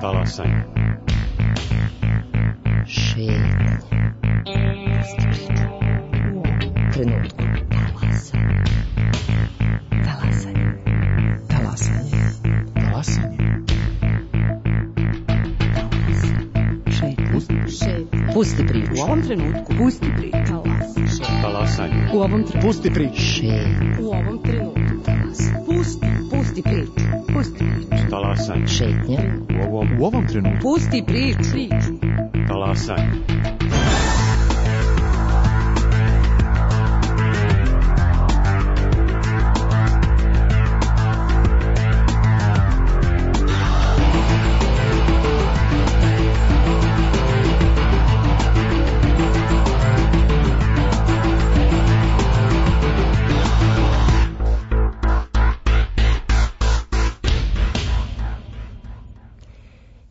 Talasanje. Šetnje. Trenutku. Talasanje. Talasanje. Talasanje. Šetnje. Pusti priču. U ovom trenutku. Pusti priču. Talasanje. U ovom trenutku. Pusti priču. Šetnje. U ovom trenutku. Pusti priču. Pusti priču. Talasanje. Šetnje. U ovom trenutku. Pusti priču. Talasanje.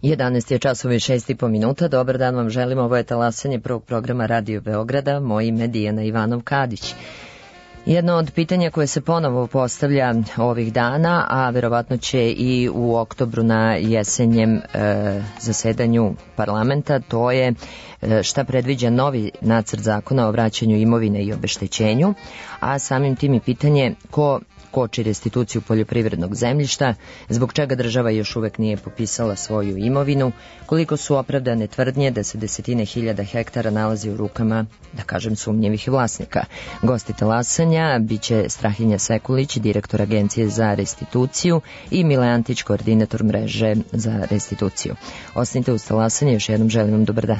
Jedanaest je časova i 6,5 minuta. Dobar dan vam želim. Ovo je talasanje prvog programa Radio Beograda. Moje ime je Dijana Ivanov-Kadić. Jedno od pitanja koje se ponovo postavlja ovih dana, a verovatno će i u oktobru na jesenjem zasedanju parlamenta, to je šta predviđa novi nacrt zakona o vraćanju imovine i obeštećenju, a samim tim i pitanje ko koči restituciju poljoprivrednog zemljišta, zbog čega država još uvek nije popisala svoju imovinu, koliko su opravdane tvrdnje da se desetine hiljada hektara nalazi u rukama, da kažem, sumnjivih vlasnika. Gosti talasanja biće Strahinja Sekulić, direktor Agencije za restituciju, i Mile Antić, koordinator mreže za restituciju. Ostanite uz talasanje, još jednom želim vam dobar dan.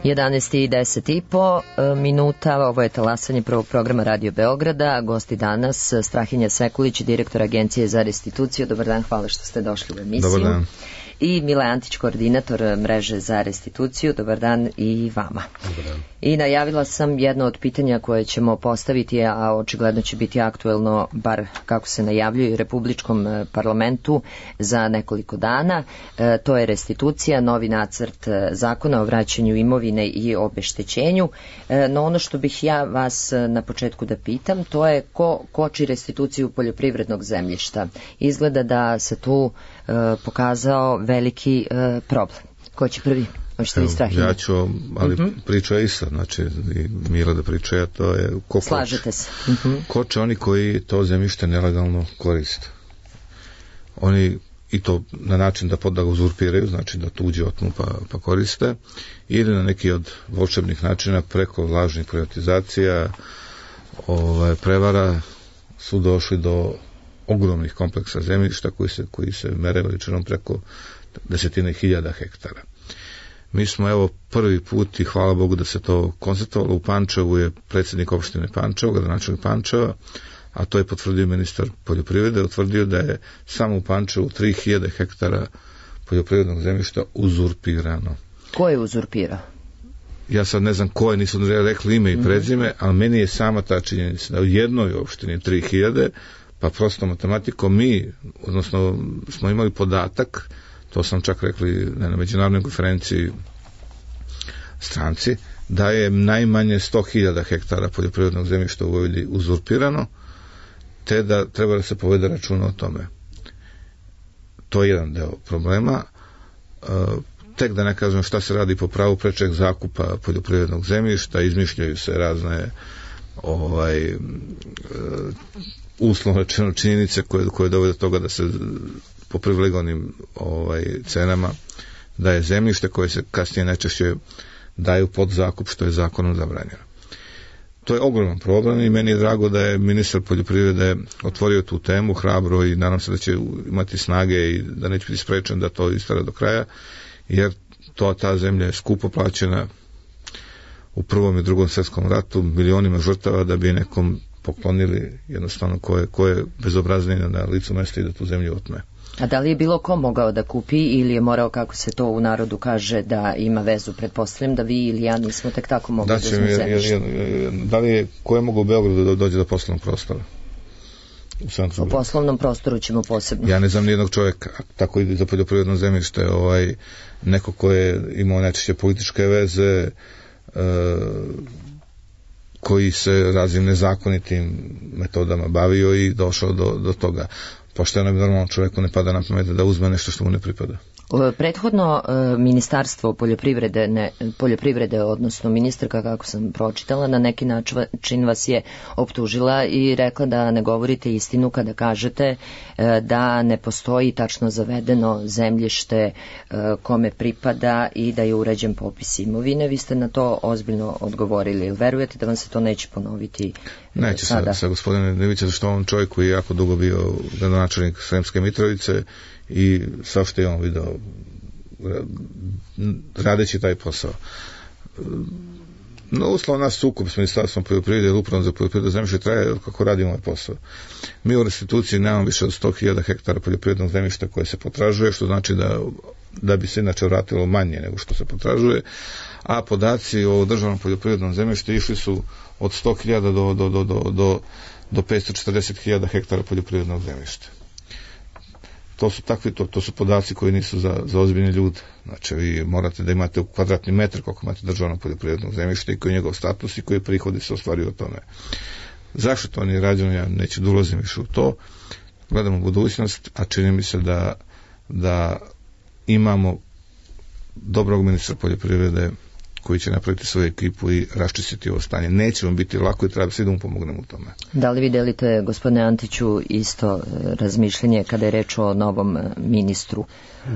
11:10 ovo je talasanje prvog programa Radio Beograda. Gosti danas Strahinja Sekulić, direktor Agencije za restituciju. Dobar dan, hvala što ste došli u emisiju. Dobar dan. I Mile Antić, koordinator mreže za restituciju. Dobar dan i vama. Dobar dan. I najavila sam jedno od pitanja koje ćemo postaviti, a očigledno će biti aktuelno, bar kako se najavljuje, u Republičkom parlamentu za nekoliko dana. To je restitucija, novi nacrt zakona o vraćanju imovine i obeštećenju. No ono što bih ja vas na početku da pitam, to je ko koči restituciju poljoprivrednog zemljišta. Izgleda da se tu pokazao veliki problem. Ko će prvi? Ja ću, ali priča je ista, znači Mila da priča, to je ko slažete se. Koče oni koji to zemljište nelegalno koriste. Oni i to na način da ga uzurpiraju, znači da tuđe otmu pa koriste, ili na neki od volšebnih načina preko lažnih privatizacija, prevara su došli do ogromnih kompleksa zemljišta koji se mere veličinom preko desetine hiljada hektara. Mi smo evo prvi put i hvala Bogu da se to konstatovalo. U Pančevu je predsjednik opštine Pančevo, gradonačelnik Pančeva, a to je potvrdio ministar poljoprivrede, utvrdio da je samo u Pančevu 3000 hektara poljoprivrednog zemljišta uzurpirano. Ko je uzurpirao? Ja sad ne znam ko je, nisu rekli ime i prezime, ali meni je sama ta činjenica da u jednoj opštini 3000, pa prosto matematikom odnosno smo imali podatak, to sam čak rekli na međunarodnoj konferenciji stranci, da je najmanje 100.000 hektara poljoprivrednog zemljišta u Vojvodini uzurpirano, te da treba da se povede računa o tome. To je jedan deo problema. Tek da ne kažem šta se radi po pravu prečeg zakupa poljoprivrednog zemljišta, izmišljaju se razne uslovno rečeno činjenice koje dovode do toga da se po privilegovanim cenama daje zemljište koje se kasnije najčešće daju pod zakup, što je zakonom zabranjeno. To je ogroman problem i meni je drago da je ministar poljoprivrede otvorio tu temu hrabro i nadam se da će imati snage i da neće biti sprečen da to istara do kraja, jer ta zemlja je skupo plaćena u Prvom i Drugom svjetskom ratu, milionima žrtava da bi nekom poklonili jednostavno ko je bezobrazniji na licu mesta i da tu zemlju otme. A da li je bilo ko mogao da kupi ili je morao, kako se to u narodu kaže, da ima vezu? Pretpostavljam da vi ili ja nismo tek tako mogli da uzmemo zemljište. Da li je, ko je mogao u Beogradu da dođe do poslovnog prostora? U poslovnom prostoru ćemo posebno. Ja ne znam nijednog čovjeka, tako i za poljoprivredno zemljište, neko ko je imao najčešće političke veze, koji se raznim nezakonitim metodama bavio i došao do toga. Pošteno bi normalno čovjeku ne pada na pamet da uzme nešto što mu ne pripada. Prethodno ministarstvo poljoprivrede, odnosno ministarka, kako sam pročitala, na neki način vas je optužila i rekla da ne govorite istinu kada kažete da ne postoji tačno zavedeno zemljište kome pripada i da je uređen popis imovine. Vi ste na to ozbiljno odgovorili. Ili verujete da vam se to neće ponoviti neće sada? Neće sa gospodine Nevića, zašto on čovjek koji je jako dugo bio gradonačelnik Sremske Mitrovice i sve što je on video radeći taj posao. No, uslovno nas sukob s ministarstvom poljoprivrede i upravom za poljoprivredno zemljište traje kako radimo ovaj posao. Mi u restituciji nemamo više od 100.000 hektara poljoprivrednog zemljišta koje se potražuje, što znači da bi se inače vratilo manje nego što se potražuje, a podaci o državnom poljoprivrednom zemljištu išli su od 100.000 do 540.000 hektara poljoprivrednog zemljišta. To su podaci koji nisu za ozbiljne ljude. Znači, vi morate da imate u kvadratni metar koliko imate državnog poljoprivrednog zemljišta i koji je njegov status i koji prihodi se ostvaruju o tome. Zašto to nije rađeno? Ja neću da ulazim više u to. Gledamo budućnost, a čini mi se da imamo dobrog ministra poljoprivrede koji će napraviti svoju ekipu i raščistiti ovo stanje. Neće vam biti lako i treba svi da mu pomognemo u tome. Da li vi delite, gospodine Antiću, isto razmišljenje kada je reč o novom ministru?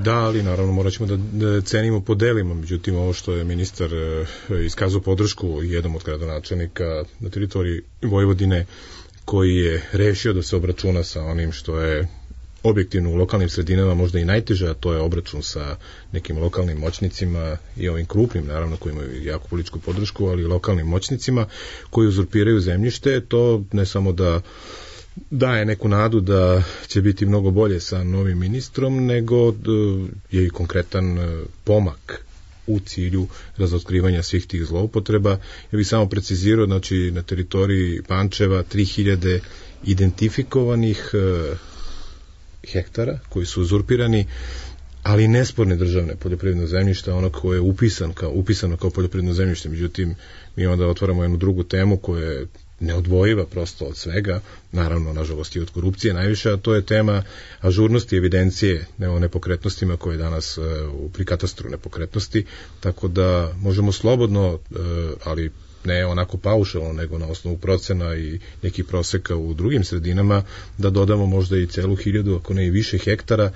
Da, ali naravno morat ćemo da cenimo po delima. Međutim, ovo što je ministar iskazao podršku jednom od gradonačelnika na teritoriji Vojvodine, koji je rešio da se obračuna sa onim što je objektivno u lokalnim sredinama možda i najteže, a to je obračun sa nekim lokalnim moćnicima i ovim krupnim, naravno, koji imaju jako političku podršku, ali i lokalnim moćnicima koji uzurpiraju zemljište. To ne samo da daje neku nadu da će biti mnogo bolje sa novim ministrom, nego je i konkretan pomak u cilju razotkrivanja svih tih zloupotreba. Ja bih samo precizirao, znači na teritoriji Pančeva 3000 identifikovanih hektara koji su uzurpirani, ali nesporne državne poljoprivredno zemljište, ono koje je upisano kao poljoprivredno zemljište. Međutim, mi onda otvaramo jednu drugu temu koja je neodvojiva prosto od svega, naravno, nažalost i od korupcije najviše, a to je tema ažurnosti evidencije o nepokretnostima koje je danas pri katastru nepokretnosti, tako da možemo slobodno, ali ne onako paušalno, nego na osnovu procena i nekih proseka u drugim sredinama, da dodamo možda i celu 1000, ako ne i više hektara,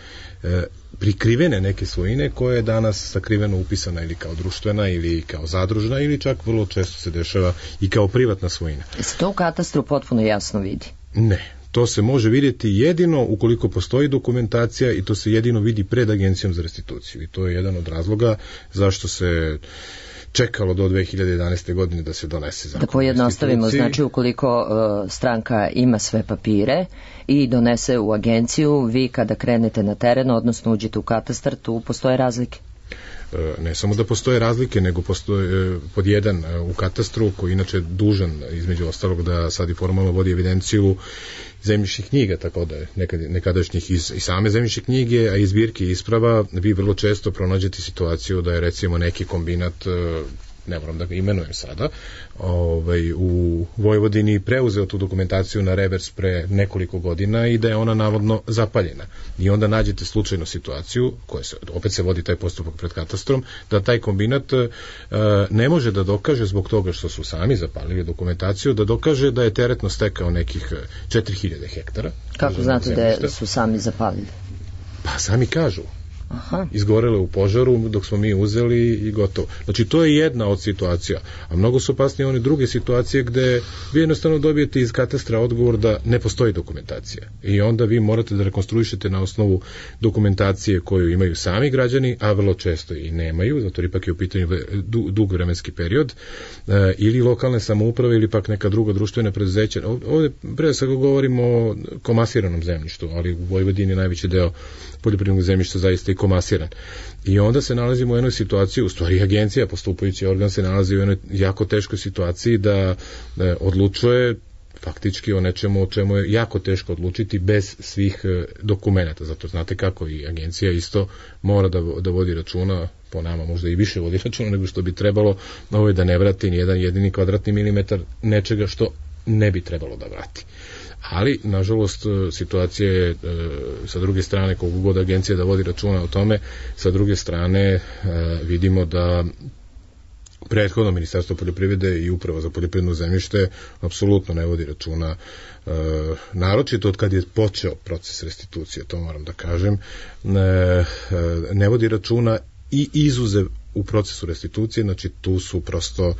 prikrivene neke svojine koje je danas sakriveno upisana ili kao društvena ili kao zadružna ili čak vrlo često se dešava i kao privatna svojina. Se to u katastru potpuno jasno vidi? Ne. To se može vidjeti jedino ukoliko postoji dokumentacija i to se jedino vidi pred Agencijom za restituciju. I to je jedan od razloga zašto se čekalo do 2011. godine da se donese zakon. Da pojednostavimo, znači ukoliko stranka ima sve papire i donese u agenciju, vi kada krenete na teren, odnosno uđete u katastar, tu postoje razlike? Ne samo da postoje razlike, nego postoje pod jedan u katastru, koji inače dužan između ostalog da sad i formalno vodi evidenciju zemljišnih knjiga, tako da nekadašnjih i same zemljišne knjige, a i zbirke isprava, vi vrlo često pronađete situaciju da je recimo neki kombinat, ne moram da ga imenujem sada, u Vojvodini preuzeo tu dokumentaciju na revers pre nekoliko godina i da je ona navodno zapaljena. I onda nađete slučajnu situaciju, opet se vodi taj postupak pred katastrom, da taj kombinat ne može da dokaže zbog toga što su sami zapalili dokumentaciju, da dokaže da je teretno stekao nekih 4000 hektara. Kako znate da su sami zapalili? Pa sami kažu. Aha. Izgorele u požaru dok smo mi uzeli i gotovo. Znači to je jedna od situacija, a mnogo su opasnije one druge situacije gde vi jednostavno dobijete iz katastra odgovor da ne postoji dokumentacija i onda vi morate da rekonstruišete na osnovu dokumentacije koju imaju sami građani, a vrlo često i nemaju, zato ipak je u pitanju dug vremenski period, ili lokalne samouprave ili pak neka druga društvena preduzeća. Ovde pre svega govorimo o komasiranom zemljištu, ali u Vojvodini najveći deo poljoprivrednog zemljišta zaista i komasiran. I onda se nalazimo u jednoj situaciji, u stvari agencija, postupajući organ, se nalazi u jednoj jako teškoj situaciji da odlučuje faktički o nečemu o čemu je jako teško odlučiti bez svih dokumenata. Zato znate kako i agencija isto mora da vodi računa, po nama možda i više vodi računa nego što bi trebalo, da ne vrati ni jedan jedini kvadratni milimetar nečega što ne bi trebalo da vrati. Ali, nažalost, situacija je sa druge strane, koliko god agencija da vodi računa o tome, sa druge strane vidimo da prethodno Ministarstvo poljoprivrede i Uprava za poljoprivredno zemljište apsolutno ne vodi računa, naročito od kad je počeo proces restitucije, to moram da kažem, ne vodi računa i izuzev u procesu restitucije, znači tu su prosto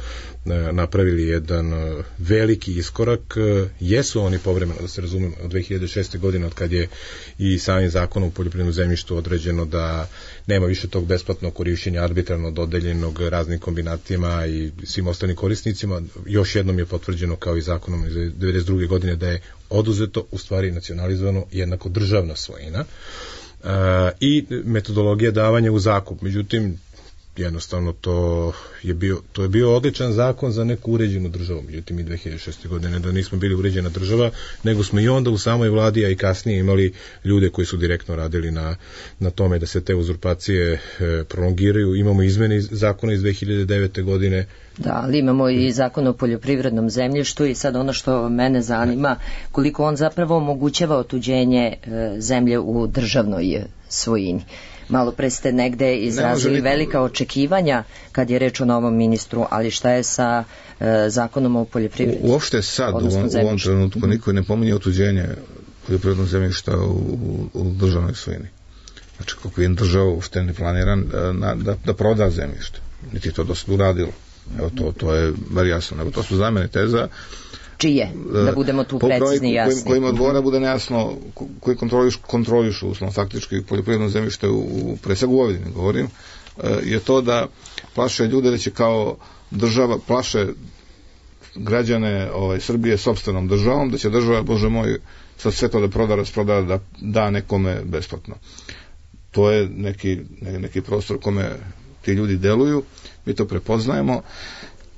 napravili jedan veliki iskorak. Jesu oni povremeno, da se razumemo, od 2006. godine, od kad je i samim zakonom o poljoprivrednom zemljištu određeno da nema više tog besplatnog korišćenja arbitrarno dodeljenog raznim kombinatima i svim ostalim korisnicima, još jednom je potvrđeno kao i zakonom iz 1992. godine da je oduzeto, u stvari nacionalizovano, jednako državna svojina i metodologija davanja u zakup. Međutim, jednostavno to je bio odličan zakon za neku uređenu državu. Međutim, i 2006. godine da nismo bili uređena država, nego smo i onda u samoj vladi, a i kasnije imali ljude koji su direktno radili na tome da se te uzurpacije prolongiraju. Imamo izmene zakona iz 2009. godine. Da, ali imamo i zakon o poljoprivrednom zemljištu i sad ono što mene zanima, koliko on zapravo omogućava otuđenje zemlje u državnoj svojini. Malo pre ste negde izrazili velika očekivanja kad je reč o novom ministru, ali šta je sa zakonom o poljoprivredi? Uopšte sad, u ovom trenutku, niko ne pominje otuđenje poljoprivrednog zemljišta u državnoj svojini. Znači, kako je država uopšte ne planiran da proda zemljište. Niti je to do sad uradilo. Evo, to je bar jasno. Evo, to su zamene teza, čije, da budemo tu precizni i jasni. Kojima odgovara bude nejasno, koji kontrolišu uslovno faktički poljoprivredno zemljište pre svega u Vojvodini govorim, je to da plaše ljude da će kao država, plaše građane Srbije sopstvenom državom, da će država, Bože moj, sad sve to da proda, rasproda, da da nekome besplatno. To je neki prostor kome ti ljudi deluju, mi to prepoznajemo,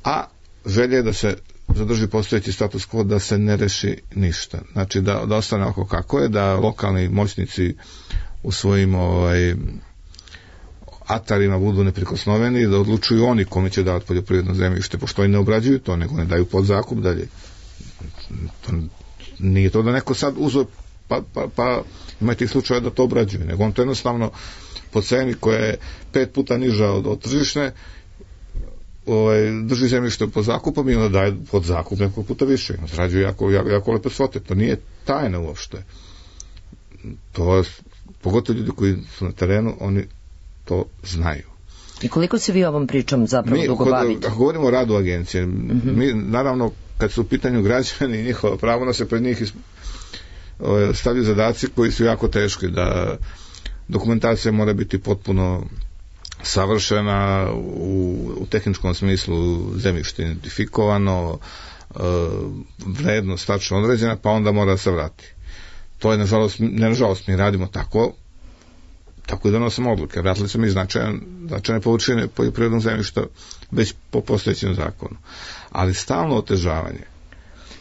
a želja je da se zadrži postojeći status quo, da se ne reši ništa. Znači da ostane oko kako je, da lokalni moćnici u svojim atarima budu neprikosnoveni, da odlučuju oni kome će davati poljoprivredno zemljište, pošto oni ne obrađuju to, nego ne daju pod zakup dalje. Nije to da neko sad uzeo pa ima tih slučaja da to obrađuje, nego on to jednostavno po ceni koja je 5 puta niža od tržišne drži zemljište pod zakupom i onda daje pod zakup nekog puta više. Zarađuje jako lepe svote. To nije tajna uopšte. To, pogotovo ljudi koji su na terenu, oni to znaju. I koliko se vi ovom pričom zapravo dugo bavite? Ako govorimo o radu agencije, mi naravno kad su u pitanju građani i njihova pravo, da se pred njih stavljaju zadaci koji su jako teški, da dokumentacija mora biti potpuno savršena u tehničkom smislu, zemljište identifikovano, vrednost tačno određena, pa onda mora da se vrati. To je nažalost mi radimo tako i donosimo odluke. Vratili smo mi značajne površine poljoprivrednog zemljišta već po postojećem zakonu. Ali stalno otežavanje.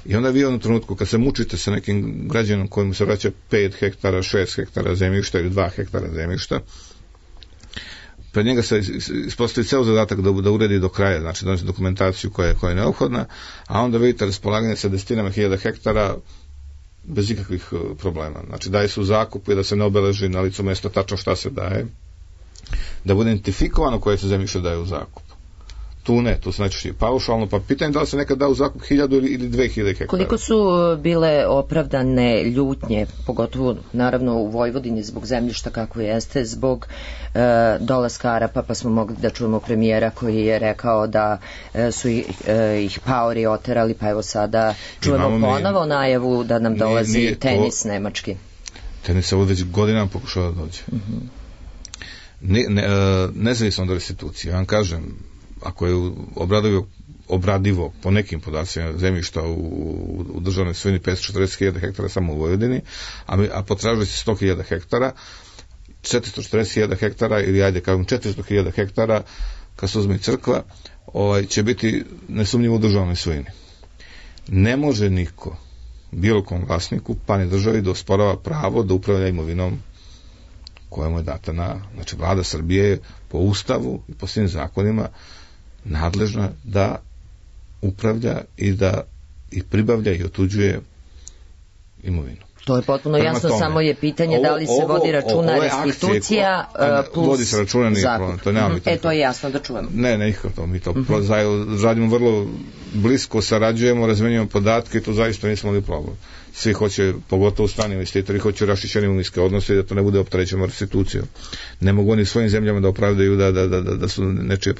I onda vi u jednom trenutku kad se mučite sa nekim građanom kojemu se vraća 5 hektara, 6 hektara zemljišta ili 2 hektara zemljišta, pred njega se ispostavi ceo zadatak da uredi do kraja, znači donosi dokumentaciju koja je neophodna, a onda vidite raspolaganje sa desetinama hiljada hektara bez ikakvih problema. Znači daje se u zakup i da se ne obeleži na licu mesta tačno šta se daje, da bude identifikovano koje se zemljište daje u zakup. Tu se najčešće paušalno, pa pitanje da li se nekad da u zakup 1000 ili 2000 hektara. Koliko su bile opravdane ljutnje, pogotovo naravno u Vojvodini zbog zemljišta kako jeste, zbog dolaska Arapa, pa smo mogli da čujemo premijera koji je rekao da su ih paori oterali, pa evo sada čujemo ponovo najavu da nam dolazi tenis nemački. Tenis se već godinama pokušava da dođe. Nezavisno od restitucije, ja vam kažem, ako je obradivo po nekim podacima zemljišta u državnoj svojini 540.000 hektara samo u Vojvodini, a potražuje se 100.000 hektara, 440.000 hektara ili ajde kažem 400.000 hektara kad se uzme crkva, će biti nesumnjivo u državnoj svojini. Ne može niko bilo kom vlasniku pa ni državi da osporava pravo da upravlja imovinom koja mu je data znači vlada Srbije je po ustavu i po svim zakonima nadležna da upravlja i pribavlja i otuđuje imovinu. To je potpuno jasno, samo je pitanje da li se vodi računa restitucija plus vodi se računa zakup. To je jasno da čujemo. Ne, nikako to. Mi to radimo vrlo blisko, sarađujemo, razmenjujemo podatke i to zaista nismo imali problem. Svi hoće, pogotovo strani investitori, hoće rašićeni imovinske odnose i da to ne bude opterećeno restitucijom. Ne mogu oni svojim zemljama da opravdaju da su nečije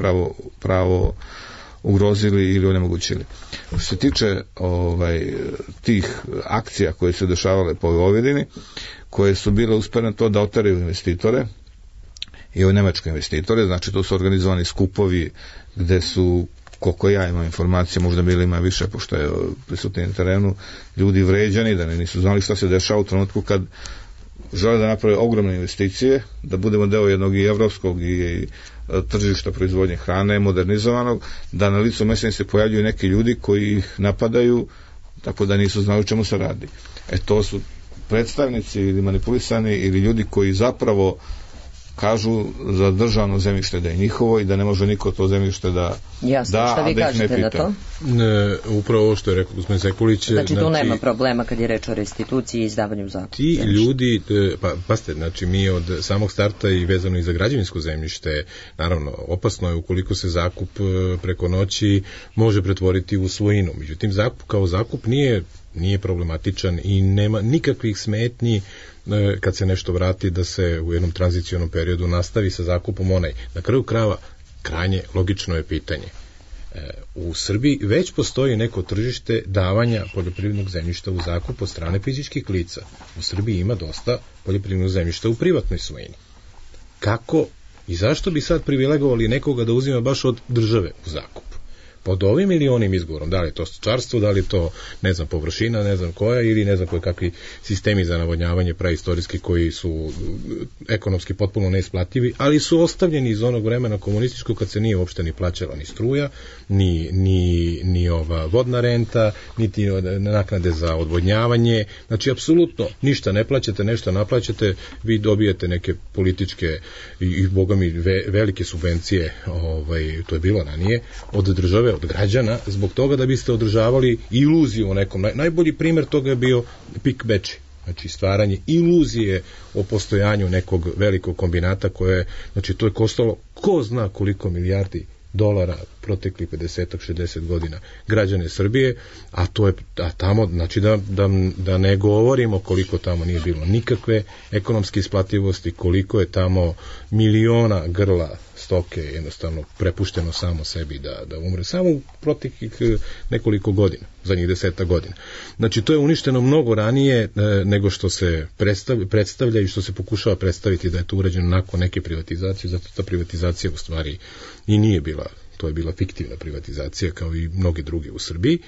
pravo ugrozili ili onemogućili. Što se tiče tih akcija koje su dešavale po Vojvodini, koje su bile usmjerene to da oteraju investitore i nemačke investitore, znači to su organizovani skupovi gde su, koliko ja imam informacije, možda bili ima više pošto je prisutni na terenu, ljudi vređani, da nisu znali šta se dešava u trenutku kad žele da naprave ogromne investicije, da budemo deo jednog i evropskog i tržišta proizvodnje hrane, modernizovanog, da na licu mesta se pojavljuju neki ljudi koji ih napadaju tako da nisu znali o čemu se radi. To su predstavnici ili manipulisani ili ljudi koji zapravo kažu za državno zemljište da je njihovo i da ne može niko to zemljište da šta vi kažete na to? Upravo ovo što je rekao gospodin Sekulić. Znači tu nema problema kad je reč o restituciji i izdavanju zakupa. Ti ljudi, pazite, znači mi od samog starta i vezano i za građevinsko zemljište, naravno opasno je ukoliko se zakup preko noći može pretvoriti u svojinu. Međutim, zakup kao zakup nije problematičan i nema nikakvih smetnji kad se nešto vrati da se u jednom tranzicionom periodu nastavi sa zakupom onaj. Na kraju krajeva krajnje logično je pitanje U Srbiji već postoji neko tržište davanja poljoprivrednog zemljišta u zakup od strane fizičkih lica. U Srbiji ima dosta poljoprivrednog zemljišta u privatnoj svojini. Kako i zašto bi sad privilegovali nekoga da uzima baš od države u zakup? Pod ovim ili onim izgovorom, da li je to stočarstvo, da li je to, ne znam, površina, ne znam koja, ili ne znam koje kakvi sistemi za navodnjavanje praistorijski koji su ekonomski potpuno neisplativi, ali su ostavljeni iz onog vremena komunističkog kad se nije uopšte ni plaćala ni struja, ni ova vodna renta, niti naknade za odvodnjavanje, znači apsolutno ništa ne plaćate, nešto naplaćate, vi dobijete neke političke i boga mi velike subvencije, to je bilo ranije, od države, od građana, zbog toga da biste održavali iluziju o nekom. Najbolji primer toga je bio PIK Bečej. Znači stvaranje iluzije o postojanju nekog velikog kombinata koje, znači to je koštalo ko zna koliko milijardi dolara protekli 50-60 godina građane Srbije, a tamo, znači da ne govorimo koliko tamo nije bilo nikakve ekonomske isplativosti, koliko je tamo miliona grla stoke jednostavno prepušteno samo sebi da umre, samo u proteklih nekoliko godina, zadnjih 10 godina. Znači to je uništeno mnogo ranije nego što se predstavlja i što se pokušava predstaviti da je to urađeno nakon neke privatizacije, zato ta privatizacija u stvari i nije bila, to je bila fiktivna privatizacija kao i mnogi drugi u Srbiji.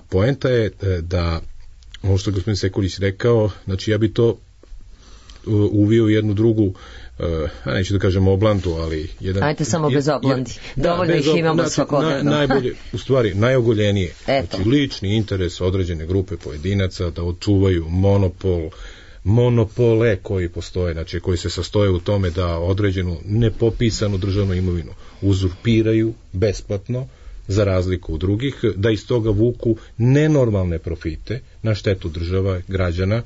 Poenta je da, ovo što je gospodin Sekulić rekao, znači ja bi to uvio u jednu drugu, neću da kažem oblandu, ali ajte samo bez oblandi, dovoljno ih imamo svakodnevno. Najbolje, u stvari najogoljenije, znači lični interes određene grupe pojedinaca da očuvaju monopole koji postoje, znači koji se sastoje u tome da određenu nepopisanu državnu imovinu uzurpiraju besplatno za razliku od drugih, da iz toga vuku nenormalne profite na štetu država, građana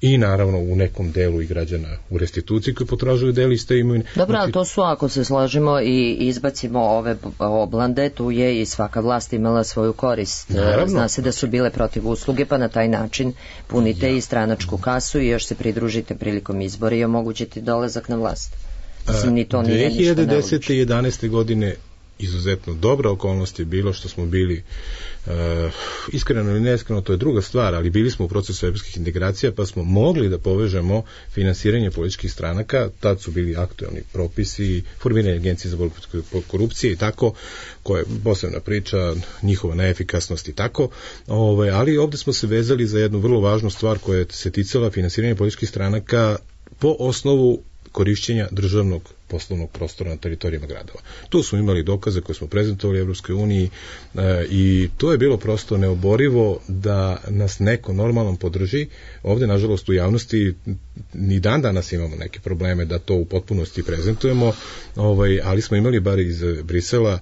i naravno u nekom delu i građana u restituciji koji potražuju deli iz te imovine. Dobro, ali to su, ako se složimo i izbacimo ove oblande, tu je i svaka vlast imala svoju korist. Naravno. Zna se da su bile protiv usluge, pa na taj način punite i stranačku kasu i još se pridružite prilikom izbora i omogućite dolazak na vlast. Mislim, ni to nije ništa nelogično. 2010. i 11. godine izuzetno dobra okolnost je bilo što smo bili, iskreno ili neiskreno, to je druga stvar, ali bili smo u procesu evropskih integracija, pa smo mogli da povežemo finansiranje političkih stranaka, tad su bili aktuelni propisi, formiranje agencije za borbu protiv korupcije i tako, koja je posebna priča, njihova neefikasnost i tako, ali ovde smo se vezali za jednu vrlo važnu stvar koja se ticala finansiranja političkih stranaka po osnovu korišćenja državnog poslovnog prostora na teritorijama gradova. Tu smo imali dokaze koje smo prezentovali Evropskoj uniji i to je bilo prosto neoborivo da nas neko normalno podrži. Ovde, nažalost, u javnosti ni dan danas imamo neke probleme da to u potpunosti prezentujemo, ali smo imali bar iz Brisela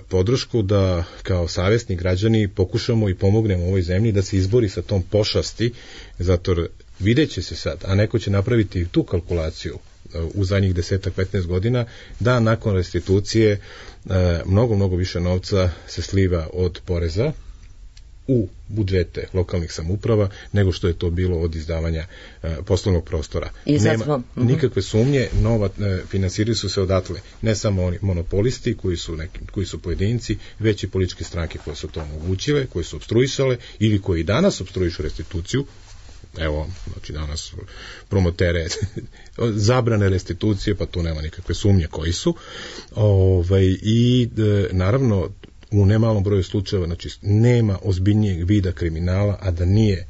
podršku da kao savjesni građani pokušamo i pomognemo ovoj zemlji da se izbori sa tom pošasti, zato vidjet će se sad, a neko će napraviti tu kalkulaciju u zadnjih 10-15 godina, da nakon restitucije mnogo više novca se sliva od poreza u budžete lokalnih samouprava nego što je to bilo od izdavanja poslovnog prostora. Nema nikakve sumnje, finansiraju su se odatle ne samo oni monopolisti koji su pojedinci, već i političke stranke koje su to omogućile, koje su opstruisale ili koji danas opstruišu restituciju. Evo, znači danas promotere zabrane restitucije, pa tu nema nikakve sumnje koji su. I naravno, u nemalom broju slučajeva, znači nema ozbiljnijeg vida kriminala, a da nije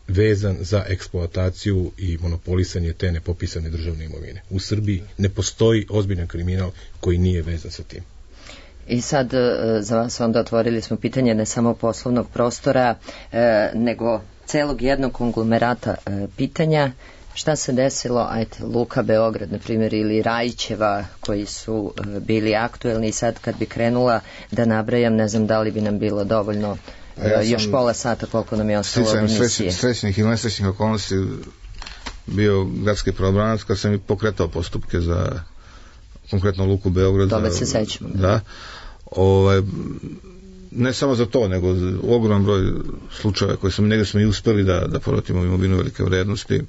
vezan za eksploataciju i monopolisanje te nepopisane državne imovine. U Srbiji ne postoji ozbiljan kriminal koji nije vezan sa tim. I sad za vas onda otvorili smo pitanje ne samo poslovnog prostora, nego celog jednog konglomerata pitanja. Šta se desilo, Luka Beograd, na primjer, ili Rajićeva, koji su bili aktuelni, i sad kad bi krenula da nabrajam, ne znam da li bi nam bilo dovoljno još pola sata koliko nam je ostalo od emisije. Srećnih ili nesrećnih okolnosti bio gradski pravobranac kad sam i pokretao postupke za konkretno Luku Beograd. Toga se sećamo. Da. Ne samo za to, nego ogroman broj slučajeva koje negdje smo i uspeli da povratimo imovinu velike vrednosti,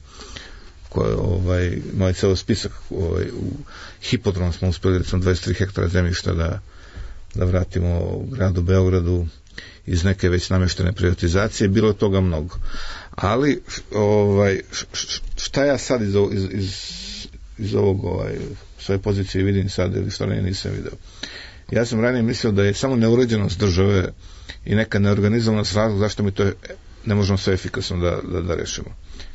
koje imali ceo spisak, u hipodrom smo uspeli, recimo 23 hektara zemljišta da da vratimo gradu Beogradu iz neke već nameštene privatizacije, bilo je toga mnogo. Ali šta ja sad iz ovog svoje pozicije vidim sad ili što nisam vidio. Ja sam ranije mislio da je samo neuređenost države i neka neorganizovanost razlog zašto mi to ne možemo sve efikasno da rešimo.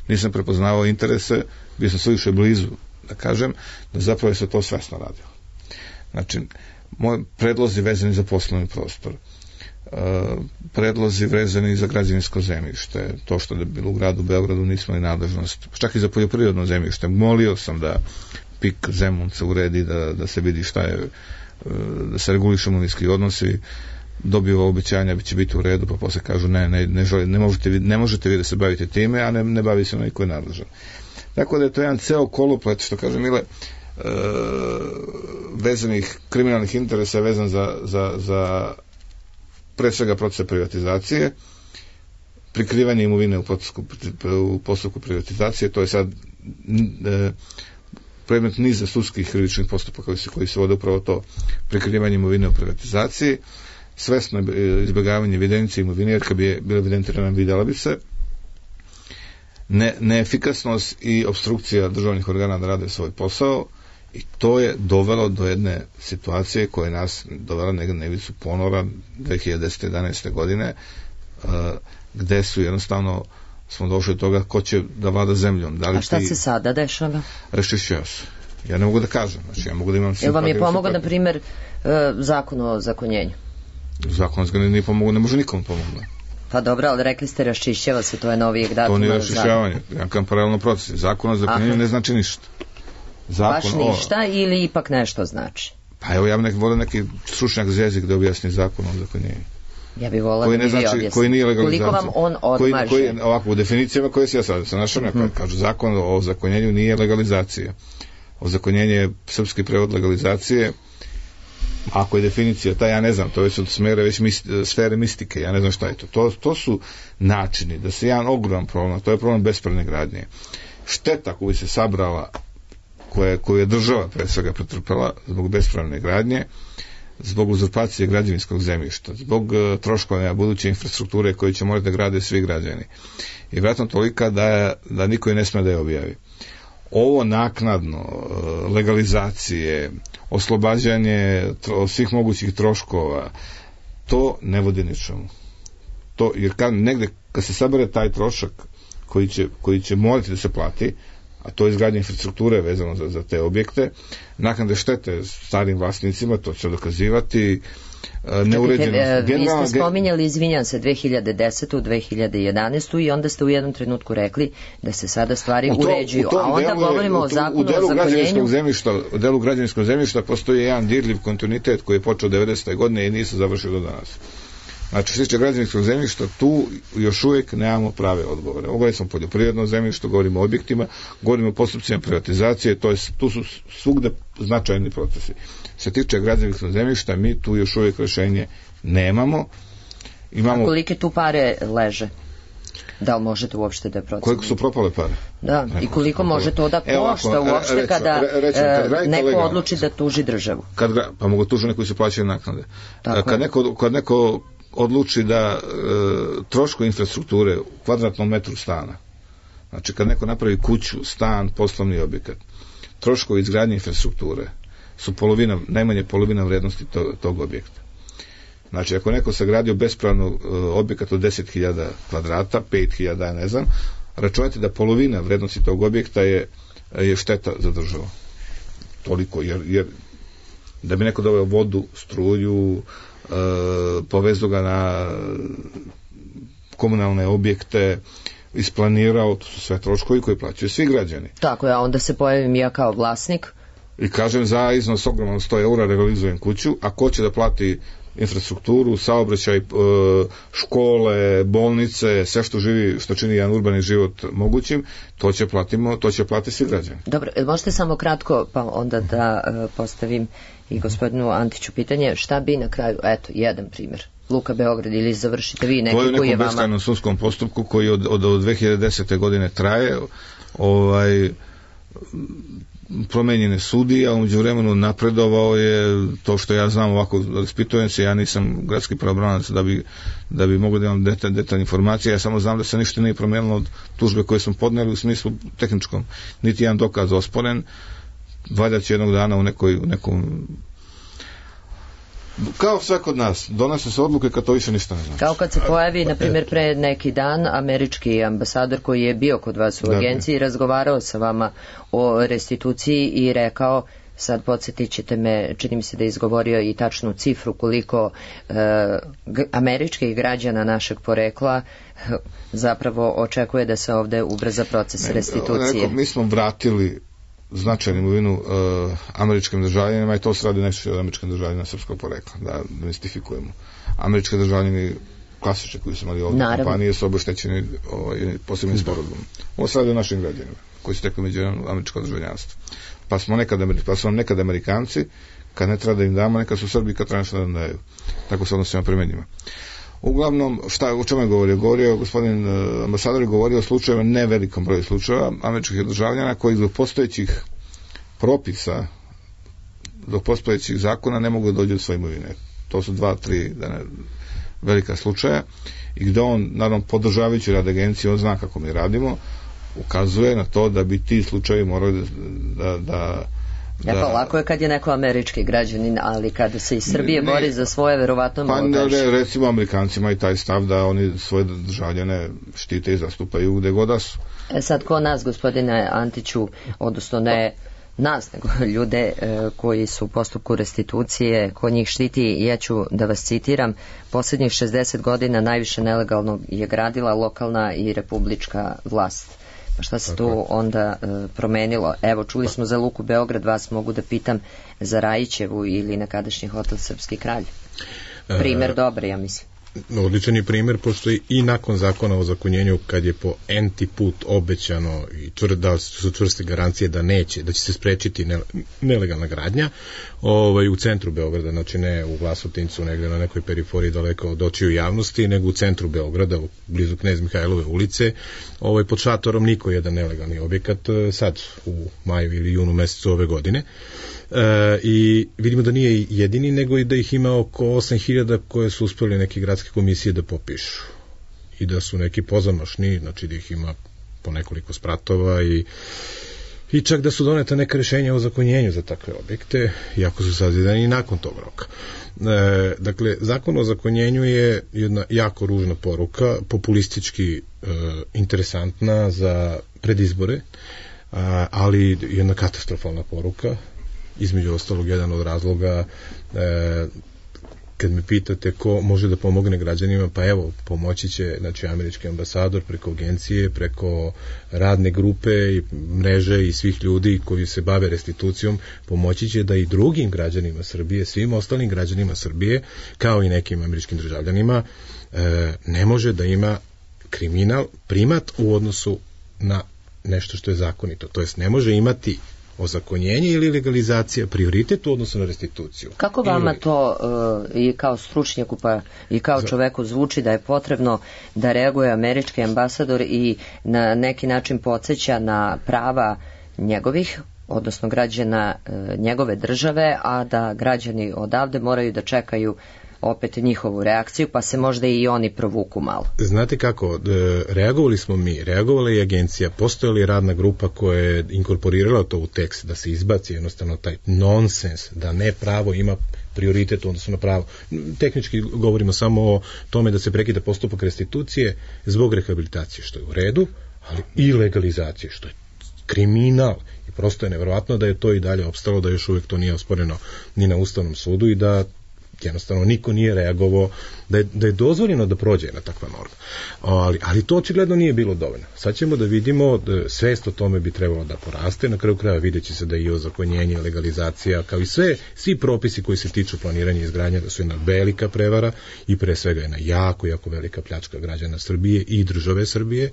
Nisam prepoznavao interese, bio sam sve više blizu, da kažem, da zapravo je se to svesno radilo. Znači, moji predlozi vezani za poslovni prostor, predlozi vezani za građevinsko zemljište, to što je bilo u gradu Beogradu nismo i nadležnost, čak i za poljoprivredno zemljište. Molio sam da PIK Zemunca uredi, da se vidi šta je, da se regulišu imovinski odnosi, dobio obećanja, će biti u redu, pa posle kažu ne možete vi da se bavite time, a ne bavi se onaj koji je nadležan. Tako da je to jedan ceo koloplet, što kaže Mile, vezanih kriminalnih interesa vezan za pre svega procesa privatizacije, prikrivanje imovine u postupku privatizacije, to je sad predmet niza sudskih krivičnih postupaka koji se vode upravo to, prikrivanje imovine u privatizaciji, svesno izbjegavanje evidencije imovine, jer kad bi bila evidentirana vidjela bi se, neefikasnost i obstrukcija državnih organa da rade svoj posao, i to je dovelo do jedne situacije koja je nas dovela na ivicu ponora 2010-11. godine, gde su jednostavno smo došli do toga ko će da vlada zemljom. A šta se sada dešava? Raščišćava se. Ja ne mogu da kažem. Znači, ja mogu da imam... Jel vam je pomogao, na primjer, zakon o zakonjenju? Zakon o zakonjenju nije pomogao, ne može nikom pomogao. Pa dobro, ali rekli ste raščišćava se, to je novijeg datuma. To nije raščišćavanje, jedan paralelno proces. Zakon o zakonjenju ne znači ništa. Baš ništa ili ipak nešto znači? Pa evo, ja bih volio neki stručnjak za jezik da objasni zakon o zakonjenju. Ja bih volila da mi vi objasni. Koji nije legalizacija. Koliko vam on odmaže? Ovako, u definicijama koje se ja sad našao, kažu zakon o zakonjenju nije legalizacija. Ozakonjenje je srpski prevod legalizacije. Ako je definicija ta, ja ne znam, to je već od sfere mistike, ja ne znam šta je to. To su načini da se jedan ogroman problem, to je problem bespravne gradnje. Šteta koju se sabrala, koju je država pre svega pretrpela zbog bespravne gradnje, zbog uzurpacije građevinskog zemljišta, zbog troškova buduće infrastrukture koje će morati da grade svi građani. I vjerojatno tolika da niko i ne sme da je objavi. Ovo naknadno, legalizacije, oslobađanje svih mogućih troškova, to ne vodi ničemu. Jer negde kad se sabere taj trošak koji će morati da se plati, a to je izgradnja infrastrukture vezano za te objekte, naknade štete starim vlasnicima, to će dokazivati, neuređenost. Vi ste spominjali, izvinjam se, 2010. 2011. i onda ste u jednom trenutku rekli da se sada stvari uređuju, a onda govorimo o zakonu o zakonjenju. U delu građevinskog zemljišta postoji jedan dirljiv kontinuitet koji je počeo 90. godine i nije se završio do danas. Znači, što se tiče građevinskog zemljišta, tu još uvijek nemamo prave odgovore. Govorimo smo o poljoprivrednom zemljištu, govorimo o objektima, govorimo o postupcima privatizacije, tu su svugde značajni procesi. Što se tiče građevinskog zemljišta, mi tu još uvijek rešenje nemamo. A kolike tu pare leže? Da li možete uopšte da procenite? Koliko su propale pare? Da, i koliko može to da košta uopšte kada neko odluči da tuži državu? Pa mogu tuži neko koji se plaćaju naknade. Kad neko odluči da troškovi infrastrukture u kvadratnom metru stana, znači kad neko napravi kuću, stan, poslovni objekat, troškovi izgradnje infrastrukture su najmanje polovina vrednosti tog objekta. Znači, ako neko sagradio bespravno objekat od 10.000 kvadrata, 5.000, ja ne znam, računajte da polovina vrednosti tog objekta je šteta za državu. Toliko, jer da bi neko doveo vodu, struju, povezu ga na komunalne objekte, isplanirao, to su sve troškovi koji plaćaju svi građani. Tako je, a onda se pojavim ja kao vlasnik i kažem za iznos ogroman 100 eura realizujem kuću, a ko će da plati infrastrukturu, saobraćaj, škole, bolnice, sve što čini jedan urbani život mogućim, to će platiti svi građani. Dobro, možete samo kratko, pa onda da postavim i gospodinu Antiću pitanje, šta bi na kraju, eto, jedan primjer, Luka Beograd, ili završite vi neki koji je vama... To je u nekom beskrajnom sudskom postupku koji od 2010. godine traje, promenjene sudije, a umeđu vremenu napredovao je, to što ja znam ovako, raspitujem se, ja nisam gradski pravobranilac da bi mogao da imam detaljne informacije, ja samo znam da se ništa nije promenilo od tužbe koje smo podneli u smislu tehničkom, niti jedan dokaz osporen, valjda će jednog dana u nekom kao sve kod nas, donose se odluke kad to više ništa ne znači. Kao kad se pojavi, na primjer, pre neki dan američki ambasador koji je bio kod vas u agenciji i razgovarao sa vama o restituciji i rekao, sad podsjetit ćete me, čini mi se da je izgovorio i tačnu cifru koliko američkih građana našeg porekla zapravo očekuje da se ovde ubrza proces restitucije. Mi smo vratili značajnu imovinu američkim državljanima i to se radi nešto od američkim državljanima srpskog porekla, da mistifikujemo. Američki državljani klasični koji su imali ovdje kompanije su obeštećeni posebnim sporazumom. Ovo se radi o našim građanima koji su tekli među američko državljanstvo. Pa su nam nekad Amerikanci, kad ne treba da im damo, nekad su Srbi kad treba nešto da nam daju. Tako se odnosimo prema njima. Uglavnom, o čemu je govorio? Govorio, gospodin ambasador je govorio o slučajevima, ne velikom broju slučajeva američkih državljana koji zbog postojećih propisa, zbog postojećih zakona ne mogu da dođu do svoje imovine. To su 2-3 velika slučaja i gde on, naravno, podržavajući rad agencije, on zna kako mi radimo, ukazuje na to da bi ti slučajevi morali da lako je kad je neko američki građanin, ali kada se iz Srbije bori za svoje, verovatno recimo Amerikancima i taj stav da oni svoje državljane štite i zastupaju gde god da su. Sad, ko nas, gospodine Antiću, odnosno ne nas, nego ljude koji su u postupku restitucije, ko njih štiti, ja ću da vas citiram, posljednjih 60 godina najviše nelegalno je gradila lokalna i republička vlast. Pa šta se tu onda promenilo? Evo, čuli smo za Luku Beograd, vas mogu da pitam za Rajićevu ili nekadašnji hotel Srpski kralj. Primer dobar, ja mislim. Odličan je primer, pošto i nakon zakona o ozakonjenju, kad je po enti put obećano i da su čvrste garancije da neće, da će se sprečiti nelegalna gradnja u centru Beograda, znači ne u Vlasotincu, negde na nekoj periferiji daleko od očiju javnosti, nego u centru Beograda, blizu Knez Mihajlove ulice, pod šatorom niko jedan nelegalni objekat, sad u maju ili junu mesecu ove godine. I vidimo da nije jedini, nego i da ih ima oko 8.000 koje su uspeli neke gradske komisije da popišu i da su neki pozamašni, znači da ih ima po nekoliko spratova i čak da su doneta neka rešenja o zakonjenju za takve objekte, iako su sazidani i nakon tog roka. Dakle, zakon o zakonjenju je jedna jako ružna poruka, populistički interesantna za predizbore, ali jedna katastrofalna poruka. Između ostalog, jedan od razloga, kad me pitate ko može da pomogne građanima, pa evo, pomoći će, znači, američki ambasador preko agencije, preko radne grupe i mreže i svih ljudi koji se bave restitucijom, pomoći će da i drugim građanima Srbije, svim ostalim građanima Srbije, kao i nekim američkim državljanima, ne može da ima kriminal primat u odnosu na nešto što je zakonito. To jest, ne može imati ozakonjenje ili legalizacija prioritet u odnosu na restituciju. Kako vama to i kao stručnjaku pa i kao čoveku zvuči da je potrebno da reaguje američki ambasador i na neki način podsjeća na prava njegovih, odnosno građana njegove države, a da građani odavde moraju da čekaju opet njihovu reakciju, pa se možda i oni provuku malo. Znate kako, reagovali smo mi, reagovala je agencija, postojala je radna grupa koja je inkorporirala to u tekst, da se izbaci jednostavno taj nonsens, da ne pravo ima prioritet u odnosu na pravo. Tehnički govorimo samo o tome da se prekida postupak restitucije zbog rehabilitacije, što je u redu, ali i legalizacije, što je kriminal. I prosto je neverovatno da je to i dalje opstalo, da još uvijek to nije osporeno ni na Ustavnom sudu i da jednostavno niko nije reagovao, da je dozvoljeno da prođe na takva norma. Ali to očigledno nije bilo dovoljno. Sad ćemo da vidimo, svest o tome bi trebalo da poraste, na kraju kraja vidjet će se da i ozakonjenje, legalizacija, kao i svi propisi koji se tiču planiranja i izgradnje, da su jedna velika prevara i pre svega jedna jako, jako velika pljačka građana Srbije i države Srbije.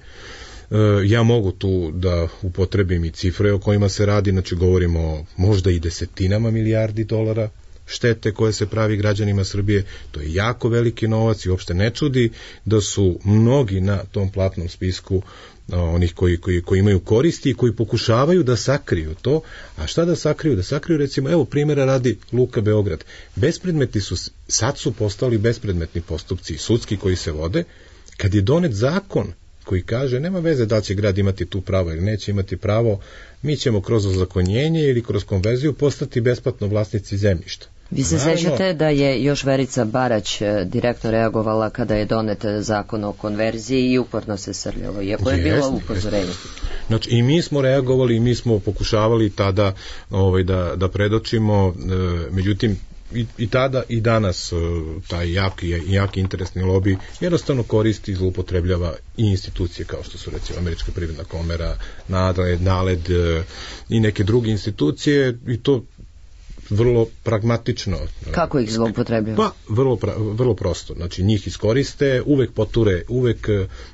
Ja mogu tu da upotrebim i cifre o kojima se radi, znači govorimo možda i desetinama milijardi dolara štete koje se pravi građanima Srbije, to je jako veliki novac i uopšte ne čudi da su mnogi na tom platnom spisku onih koji imaju koristi i koji pokušavaju da sakriju to. A šta da sakriju? Da sakriju, recimo, evo primjera radi Luka Beograd. Bespredmetni su, sad su postali bespredmetni postupci sudski koji se vode, kad je donet zakon koji kaže nema veze da li će grad imati tu pravo ili neće imati pravo, mi ćemo kroz ozakonjenje ili kroz konverziju postati besplatno vlasnici zemljišta. Vi se sećate da je još Verica Barać direktno reagovala kada je donet zakon o konverziji i uporno se srljalo, iako je bilo upozorenje. Znači, i mi smo reagovali i mi smo pokušavali tada da predočimo, međutim, i tada i danas taj jaki interesni lobi jednostavno koristi i zloupotrebljava i institucije kao što su recimo Američka privredna komora, NALED i neke druge institucije i to vrlo pragmatično. Kako ih zloupotrebljava? Pa, vrlo prosto. Znači, njih iskoriste, uvek poture, uvek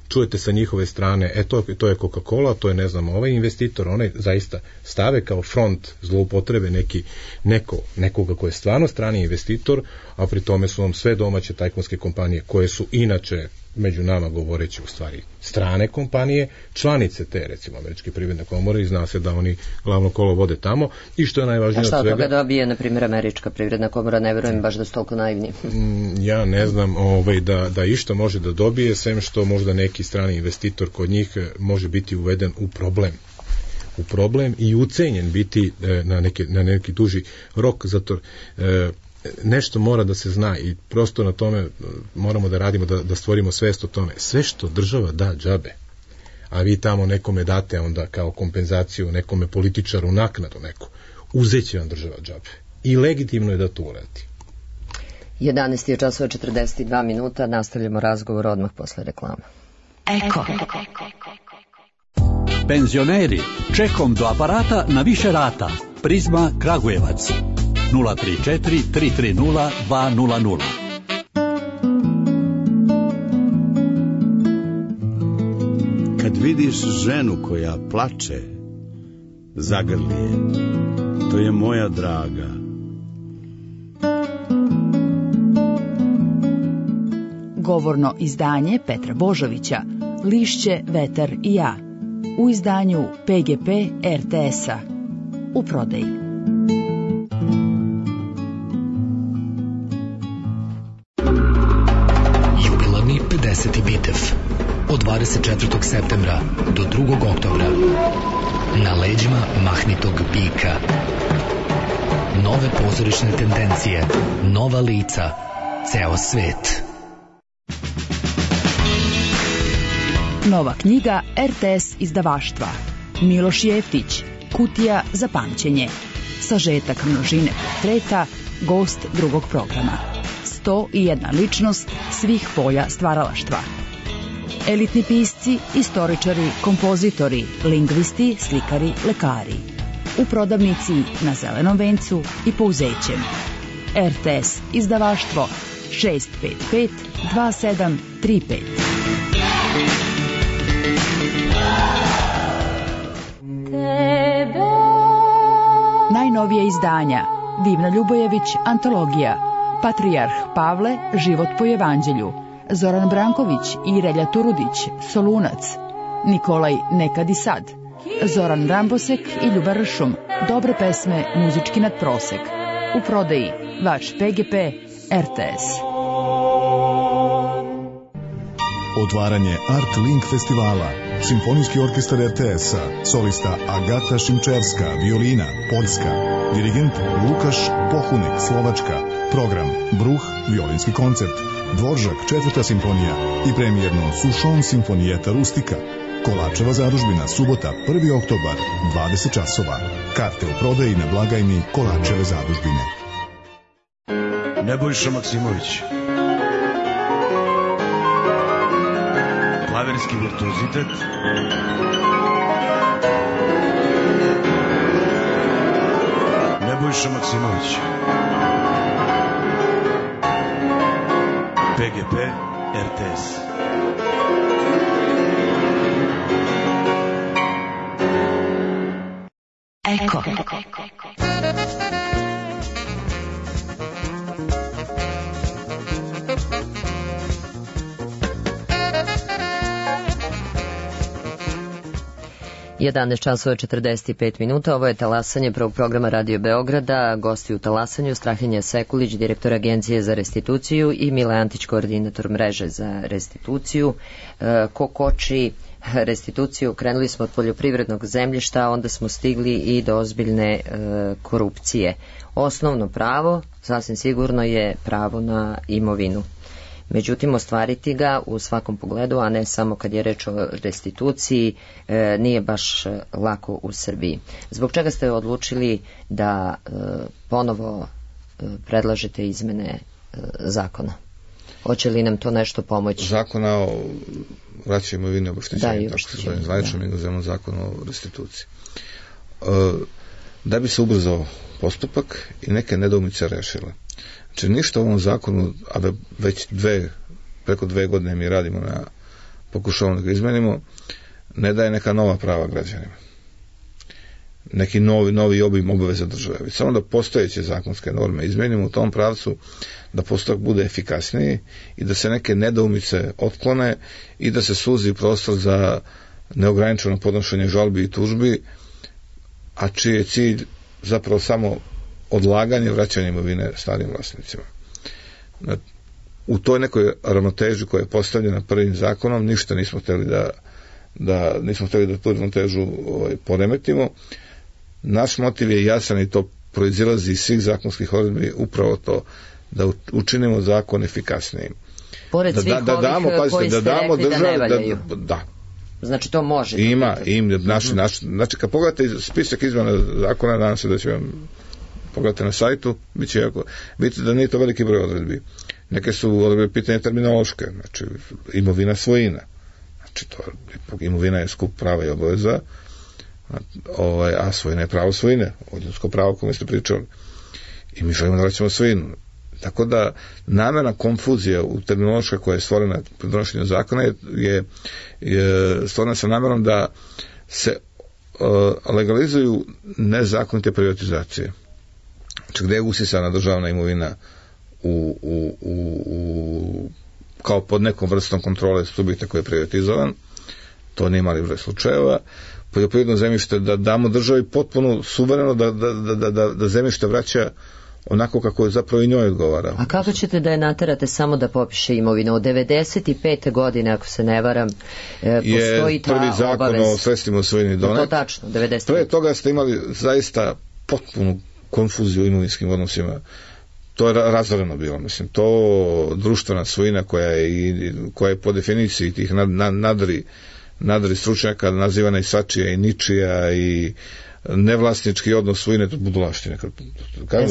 čujete sa njihove strane, to je Coca-Cola, to je, ne znam, ovaj investitor, onaj zaista stave kao front zloupotrebe nekoga ko je stvarno strani investitor, a pri tome su vam sve domaće tajkunske kompanije koje su inače među nama govoreći u stvari strane kompanije, članice te recimo Američke privredne komore i zna se da oni glavno kolo vode tamo i što je najvažnije od svega... A šta od toga dobije, na primjer, Američka privredna komora, ne verujem baš da su toliko naivni. Ja ne znam da išta može da dobije, sem što možda neki strani investitor kod njih može biti uveden u problem i ucenjen biti na neki duži rok, zato nešto mora da se zna i prosto na tome moramo da radimo, da stvorimo svest o tome. Sve što država da džabe, a vi tamo nekome date onda kao kompenzaciju, nekome političaru naknadu neku, uzeće vam država džabe. I legitimno je da to uradi. 11 je časova 42 minuta, nastavljamo razgovor odmah posle reklama. Eko. Penzioneri, čekom do aparata na više rata. Prizma Kragujevac. 034 330 200. Kad vidiš ženu koja plače, zagrli je, to je moja draga. Govorno izdanje Petra Božovića, Lišće, vetar i ja, u izdanju PGP RTS-a, u prodaji. Jubilarni 50. bitev od 24. septembra do 2. oktobra na leđima mahnitog bika. Nove pozorišne tendencije, nova lica, ceo svet. Nova knjiga RTS izdavaštva. Miloš Jeftić, Kutija za pamćenje. Sažetak množine portreta, gost drugog programa. 101 ličnost svih polja stvaralaštva. Elitni pisci, istoričari, kompozitori, lingvisti, slikari, lekari. U prodavnici na Zelenom vencu i Pouzećem. RTS izdavaštvo 655 2735. Najnovije izdanja: Divna Ljubojević, antologija, Patrijarh Pavle, život po evanđelju, Zoran Branković i Relja Turudić, Solunac, Nikolaj Nekad i sad, Zoran Rambosek i Ljuba Ršum, dobre pesme, muzički nadprosek. U prodaji vaš PGP RTS. Otvaranje Art Link festivala. Simfonijski orkestar RTS-a, solista Agata Šimčerska, violina, Poljska, dirigent Lukaš Pohunek, Slovačka, program Bruh, violinski koncert, Dvoržak, 4. simfonija i premijerno Sušon simfonijeta Rustika. Kolačeva zadužbina, subota, 1. oktobar, 20 časova. Karte u prodaji na blagajni Kolačeve zadužbine. Nebojša Maksimović. Klaverski virtuozitet. Nebojša Maksimović. PGP RTS. Eko. 11 časova 45 minuta, ovo je talasanje prvog programa Radio Beograda, gosti u talasanju Strahinja Sekulić, direktor Agencije za restituciju i Mile Antić, koordinator mreže za restituciju. Ko koči restituciju, krenuli smo od poljoprivrednog zemljišta, onda smo stigli i do ozbiljne korupcije. Osnovno pravo, sasvim sigurno, je pravo na imovinu. Međutim, ostvariti ga u svakom pogledu, a ne samo kad je reč o restituciji, nije baš lako u Srbiji. Zbog čega ste odlučili da ponovo predlažete izmene zakona? Hoće li nam to nešto pomoći? Zakona o vraćanju imovine, obeštećenju, tako se zove, zvaničnom inozemnom zakonu o restituciji. Da bi se ubrzao postupak i neke nedoumice rešile. Znači, ništa u ovom zakonu, a već preko 2 godine mi radimo na pokušavamo da ga izmenimo, ne daje neka nova prava građanima. Neki novi obim obaveza države. Već samo da postojeće zakonske norme izmenimo u tom pravcu, da postupak bude efikasniji i da se neke nedoumice otklone i da se suzi prostor za neograničeno podnošenje žalbi i tužbi, a čiji je cilj zapravo samo odlaganje vraćanja imovine starim vlasnicima. U toj nekoj ravnoteži koja je postavljena prvim zakonom ništa nismo hteli da tu ravnotežu poremetimo. Naš motiv je jasan i to proizilazi iz svih zakonskih odredbi, upravo to da učinimo zakon efikasnijim. Pored svih ovih koji ste rekli da ne valjaju. Da. Znači to može. Ima. Znači kad pogledate spisak izmena zakona, nadam se da će vam pogledate na sajtu, vidite da nije to veliki broj odredbi. Neke su odredbe pitanje terminološke, znači imovina svojina. Znači imovina je skup prava i obaveza, a svojina je pravo svojine, ljudsko pravo o kome ste pričali. I mi želimo da vraćamo svojinu. Tako da namerna konfuzija u terminološka koja je stvorena pri donošenju zakona je stvorena sa namerom da se legalizuju nezakonite privatizacije. Znači gde je usisana državna imovina kao pod nekom vrstom kontrole subjekta koji je privatizovan, to nije mali broj slučajeva. Poljoprivredno zemljište da damo državi potpuno suvereno da zemljište vraća onako kako je zapravo i njoj odgovara. A kako ćete da je naterate samo da popiše imovinu? Od 95. godine, ako se ne varam, postoji ta obavez. Prvi zakon o sredstvima svojini donet. To tačno, 95. Pre toga ste imali zaista potpunu konfuziju u imovinskim odnosima. To je razvoreno bilo, mislim. To društvena svojina koja je po definiciji tih nadri stručnjaka nazivana i svačija i ničija i nevlasnički odnos svojine, to budulaštine.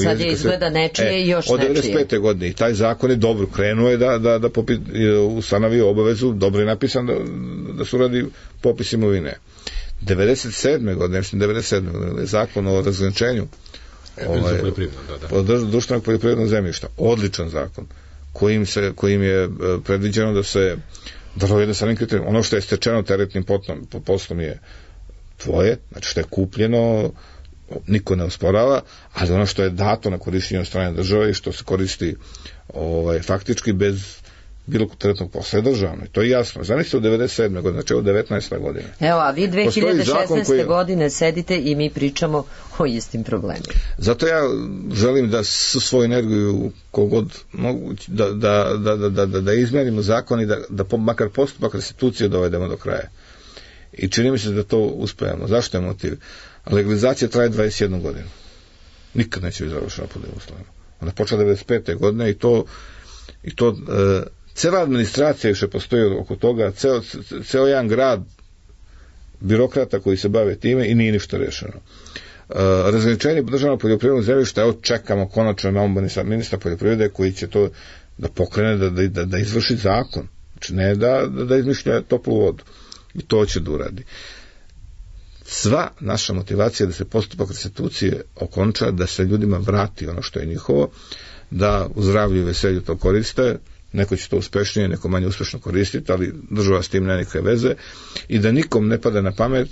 Sad je izgleda nečije i još nečije. Od 95. godine i taj zakon je dobro krenuo je da ustanovio obavezu, dobro je napisan da se uradi popis imovine. 97. godine zakon o razgraničenju društvenog poljoprivrednog zemljišta, odličan zakon kojim je predviđeno da se dovede sa nekim kriterijom. Ono što je stečeno teretnim poslom je tvoje, znači što je kupljeno niko ne osporava, ali ono što je dato na korištenje od strane države i što se koristi faktički bez bilo teretnog posla je državno. To je jasno. Zamislite u 97. godine, znači u 19. godine. Evo, a vi 2016. godine sedite i mi pričamo o istim problemima. Zato ja želim da svoju energiju kogod mogu da izmenimo zakon i da makar postupak restitucije dovedemo do kraja. I čini mi se da to uspejemo. Zašto je motiv? Legalizacija traje 21 godinu. Nikad neće biti završena pod ovim uslovima. Ona je počela 95. godine i to cela administracija još je postoji oko toga, ceo jedan grad birokrata koji se bave time i nije ništa rešeno. Razgraničenje državnog poljoprivrednog zemljišta, evo čekamo konačno, imamo ministra poljoprivrede koji će to da pokrene, da izvrši zakon. Znači ne da izmišlja toplu vodu. I to će da uradi. Sva naša motivacija je da se postupak restitucije okonča, da se ljudima vrati ono što je njihovo, da u zdravlju i veselju to koriste, neko će to uspešnije, neko manje uspešno koristiti, ali država s tim nema nikakve veze i da nikom ne pada na pamet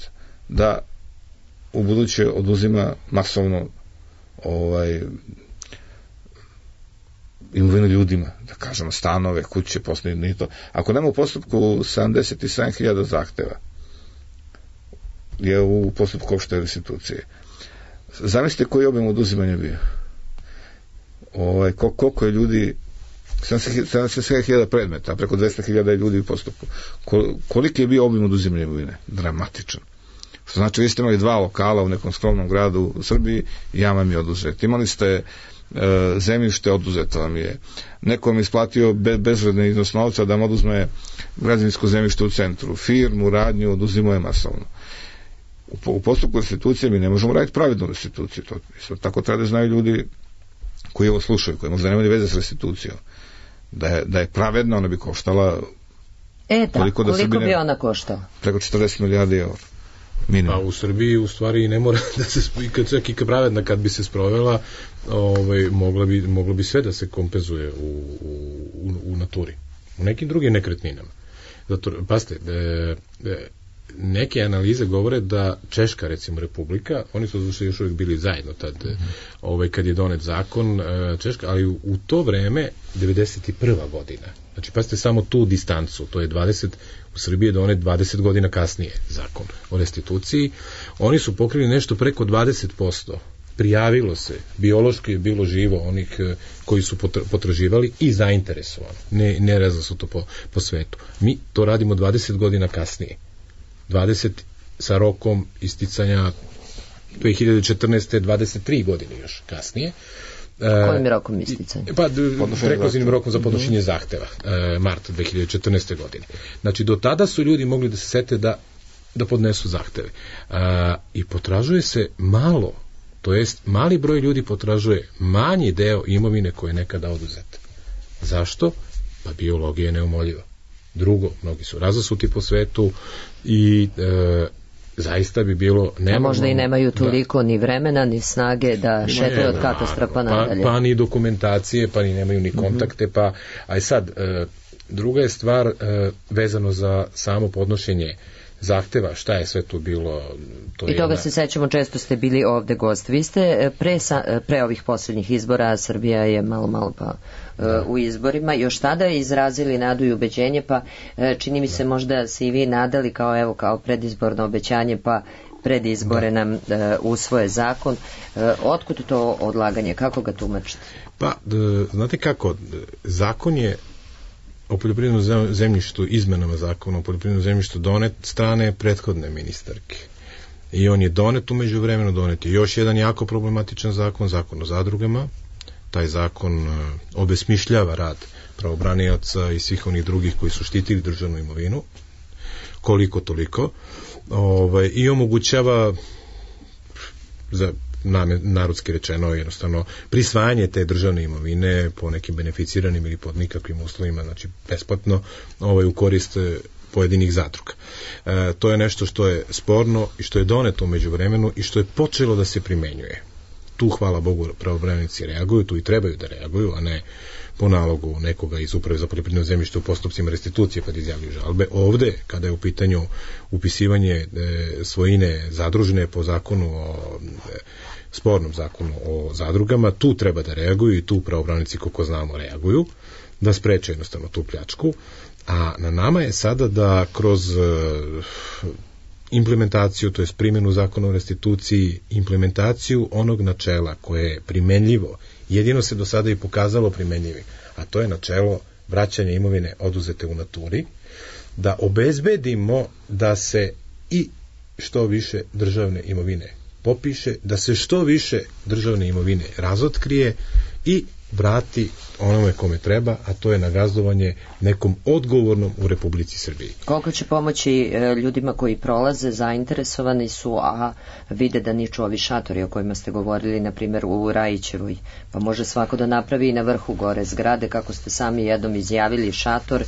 da u buduće oduzima masovno imovinu ljudima, da kažemo stanove, kuće, poslovni to. Ako nema u postupku 77.000 zahteva je u postupku opšte restitucije. Zamislite koji obim oduzimanja bio. Koliko je ljudi, 70.000 predmeta, preko 200.000 ljudi u postupku. Koliki je bio obim oduzimanja imovine? Dramatičan. Što znači, vi ste imali 2 lokala u nekom skromnom gradu u Srbiji i ja vam je oduzet. Imali ste zemljište, oduzeto vam je. Neko vam isplatio bezvredni iznos novca da vam oduzme građevinsko zemljište u centru. Firmu, radnju, oduzimo je masovno. U postupku restitucije mi ne možemo raditi pravednu restituciju. To isto tako treba da znaju ljudi koji ovo slušaju, koji možda nemaju veze s restitucijom. Da je pravedna, ona bi koštala koliko bi ona koštala? Preko 40 milijardi eura. Minimum. Pa u Srbiji u stvari ne mora da se, čak i pravedna kad bi se sprovela, mogla bi sve da se kompenzuje u naturi, u nekim drugim nekretninama. Zato, pazite, neke analize govore da Češka, recimo, republika, oni su još uvijek bili zajedno tad, kad je donet zakon Češka, ali u to vreme 91. godina, znači pazite samo tu distancu, to je 20, u Srbiji je donet 20 godina kasnije zakon o restituciji, oni su pokrili nešto preko 20%, prijavilo se, biološki je bilo živo onih koji su potraživali i zainteresovani, ne rezali su to po svetu. Mi to radimo 20 godina kasnije. 20 sa rokom isticanja 2014. 23 godine još kasnije. Kojim rokom isticanja? Pa prekluzivnim rokom za podnošenje zahteva, mart 2014. godine. Znači, do tada su ljudi mogli da se sete da podnesu zahteve. I potražuje se malo, to jest mali broj ljudi potražuje manji deo imovine koje je nekada oduzeta. Zašto? Pa biologija je neumoljiva. Drugo, mnogi su razasuti po svetu i zaista bi bilo nemoguće. Možda i nemaju toliko ni vremena, ni snage da šetaju od katastrofa nadalje. Pa ni dokumentacije, pa ni nemaju ni kontakte, a sad, druga je stvar vezano za samo podnošenje zahteva, šta je sve tu bilo. I toga se sećamo, često ste bili ovde gost. Vi ste pre ovih poslednjih izbora, Srbija je malo pa u izborima, još tada izrazili nadu i ubeđenje, pa čini mi se možda se i vi nadali kao predizborno obećanje, pa pred izbore nam usvoje zakon. Otkud to odlaganje? Kako ga tumačite? Pa, znate kako, zakon je o poljoprivrednom zemljištu, izmenama zakona o poljoprivrednom zemljištu donet strane prethodne ministarke. I on je donet, umeđu vremenu donet je još jedan jako problematičan zakon, zakon o zadrugama. Taj zakon obesmišljava rad pravobranioca i svih onih drugih koji su štitili državnu imovinu, koliko toliko, i omogućava, za narodski rečeno, jednostavno prisvajanje te državne imovine po nekim beneficiranim ili pod nikakvim uslovima, znači besplatno, u korist pojedinih zadruga. To je nešto što je sporno i što je doneto umeđu vremenu i što je počelo da se primenjuje. Tu, hvala Bogu, pravobranici reaguju, tu i trebaju da reaguju, a ne po nalogu nekoga iz Uprave za poljoprivredno zemljište u postupcima restitucije kad izjavljuju žalbe. Ovde, kada je u pitanju upisivanje svojine zadružne po zakonu spornom zakonu o zadrugama, tu treba da reaguju i tu pravobranici, koliko znamo, reaguju, da spreče jednostavno tu pljačku, a na nama je sada da kroz implementaciju, to je primjenu zakona o restituciji, implementaciju onog načela koje je primenljivo, jedino se do sada i pokazalo primenljivim, a to je načelo vraćanja imovine oduzete u naturi, da obezbedimo da se i što više državne imovine popiše, da se što više državne imovine razotkrije i vrati onome kome treba, a to je nagazdovanje nekom odgovornom u Republici Srbiji. Koliko će pomoći ljudima koji prolaze, zainteresovani su, a vide da niču ovi šatori o kojima ste govorili, na primjer u Rajićevoj, pa može svako da napravi i na vrhu gore zgrade, kako ste sami jednom izjavili, šator,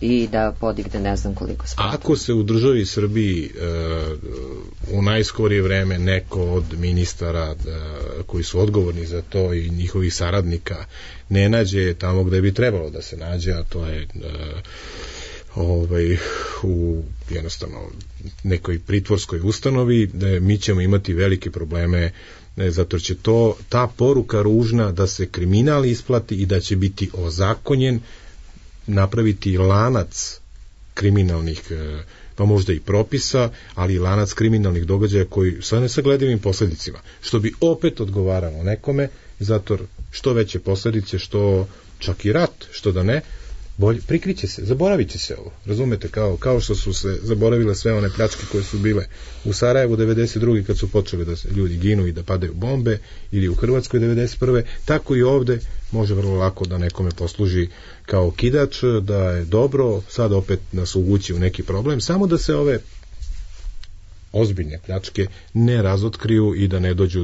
i da podigne ne znam koliko sprata. Ako se u državi Srbiji u najskorije vreme neko od ministara koji su odgovorni za to i njihovih saradnika ne nađe tamo gde bi trebalo da se nađe, a to je u jednostavno nekoj pritvorskoj ustanovi, mi ćemo imati velike probleme, zato će ta poruka ružna da se kriminal isplati i da će biti ozakonjen, napraviti lanac kriminalnih pa možda i propisa, ali i lanac kriminalnih događaja koji sa nesagledivim posledicima, što bi opet odgovaralo nekome, zato što veće posledice, što čak i rat, što da ne, prikriće se, zaboravit će se ovo, razumete, kao što su se zaboravile sve one pljačke koje su bile u Sarajevu 92. kad su počeli da se ljudi ginu i da padaju bombe, ili u Hrvatskoj 91. tako i ovde može vrlo lako da nekome posluži kao kidač, da je dobro sad opet nas uvući u neki problem, samo da se ove ozbiljne pljačke ne razotkriju i da ne dođu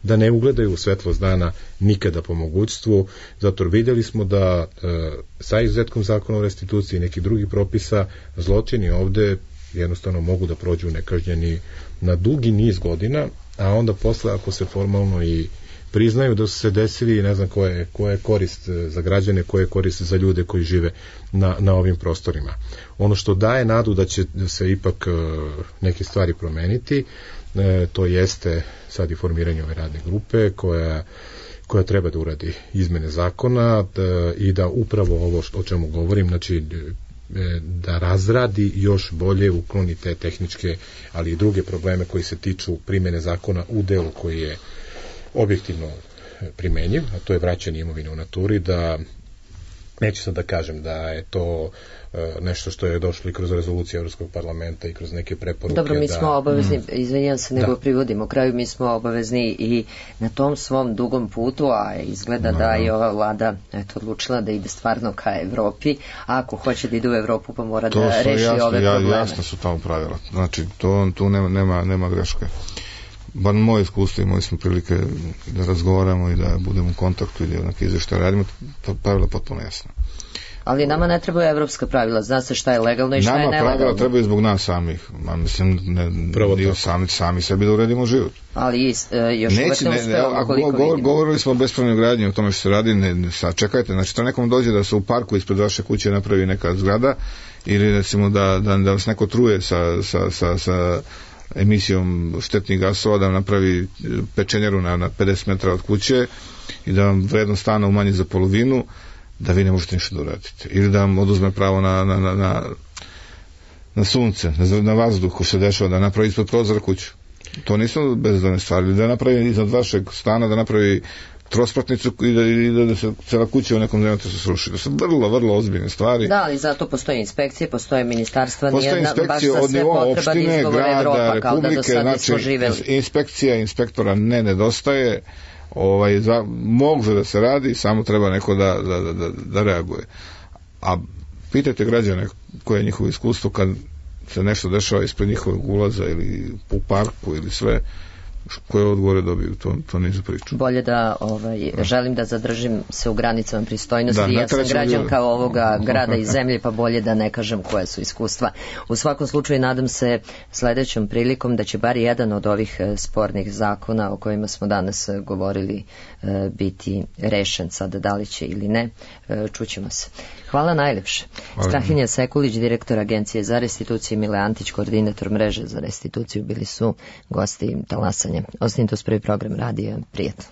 da ne ugledaju svetlost dana nikada po mogućstvu. Zato vidjeli smo da sa izuzetkom zakona o restituciji i nekih drugih propisa zločini ovde jednostavno mogu da prođu nekažnjeni na dugi niz godina, a onda posle ako se formalno i priznaju da su se desili, ne znam koja je korist za građane, koja je korist za ljude koji žive na ovim prostorima. Ono što daje nadu da će se ipak neke stvari promeniti, to jeste sad i formiranje ove radne grupe koja treba da uradi izmene zakona i da upravo ovo o čemu govorim, znači da razradi još bolje, ukloni te tehničke, ali i druge probleme koji se tiču primene zakona u delu koji je objektivno primenjiv, a to je vraćanje imovine u naturi, da neću sad da kažem da je to nešto što je došlo i kroz rezoluciju Evropskog parlamenta i kroz neke preporuke. Dobro, mi smo obavezni, izvinjam se, nego privodimo kraju, mi smo obavezni i na tom svom dugom putu, a izgleda da je ova vlada odlučila da ide stvarno ka Evropi, a ako hoće da ide u Evropu pa mora da reši ove probleme. Jasno su tamo pravila, znači tu nema greške. Bar moje iskustvo i moje smo prilike da razgovaramo i da budemo u kontaktu i da onak izveštaj radimo, pravila potpuno jasno. Ali nama ne trebaju evropska pravila, zna se šta je legalno i šta je nelegalno. Nama pravila trebaju zbog nas samih, mislim, sami sebi da uredimo život. Ali još uvek ne uspevamo koliko vidimo. Govorili smo o bespravnoj gradnji, o tome što se radi, čekajte, znači to nekom dođe da se u parku ispred vaše kuće napravi neka zgrada, ili recimo da vas neko truje sa emisijom štetnih gasova, da vam napravi pečenjaru na 50 metara od kuće i da vam vrednost stana umanji za polovinu, da vi ne možete ništa da uradite. Ili da vam oduzme pravo na sunce, na vazduh ko se dešava, da napravi ispod prozora kuću. To nisu bezdane stvari. Ili da napravi iznad vašeg stana, da napravi trospratnicu i da se cela kuća u nekom zemlju se sruši. To su vrlo ozbiljne stvari. Da, ali zato postoje inspekcije, postoje ministarstva, nije baš za sve potreban izgovor Evropa, kao da do sada smo živeli. Inspekcija, inspektora ne nedostaje, može da se radi, samo treba neko da reaguje. A pitajte građane koje je njihovo iskustvo kad se nešto dešava ispred njihovog ulaza ili u parku ili sve, koje odgovore dobiju, to nije za priču. Bolje da želim da zadržim se u granicama pristojnosti, ja sam građanka ovoga grada i zemlje, pa bolje da ne kažem koje su iskustva. U svakom slučaju nadam se sledećom prilikom da će bar jedan od ovih spornih zakona o kojima smo danas govorili biti rešen, sad da li će ili ne, čućemo se. Hvala najlepše. Strahinja Sekulić, direktor Agencije za restituciju, Mile Antić, koordinator mreže za restituciju, bili su gosti Talasanja. Ostanite uz prvi program radija. Prijatno.